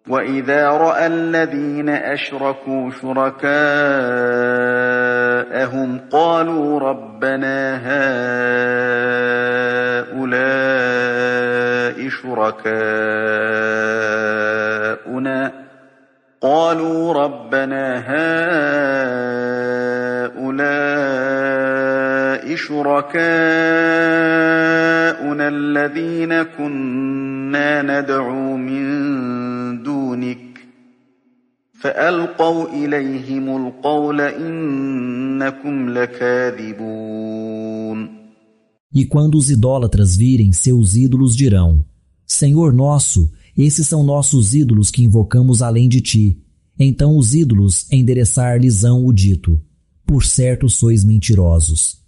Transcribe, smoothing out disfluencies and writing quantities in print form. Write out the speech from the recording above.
وَإِذَا رَأَى الَّذِينَ أَشْرَكُوا شُرَكَاءَهُمْ قَالُوا رَبَّنَا هَٰؤُلَاءِ شُرَكَاؤُنَا الَّذِينَ كُنَّا نَدْعُو مِن دُونِكَ فَأَلْقَوْا إِلَيْهِمُ الْقَوْلَ إِنَّكُمْ لَكَاذِبُونَ. E quando os idólatras virem seus ídolos dirão: Senhor nosso, esses são nossos ídolos que invocamos além de ti. Então os ídolos endereçar-lhes-ão o dito: Por certo sois mentirosos.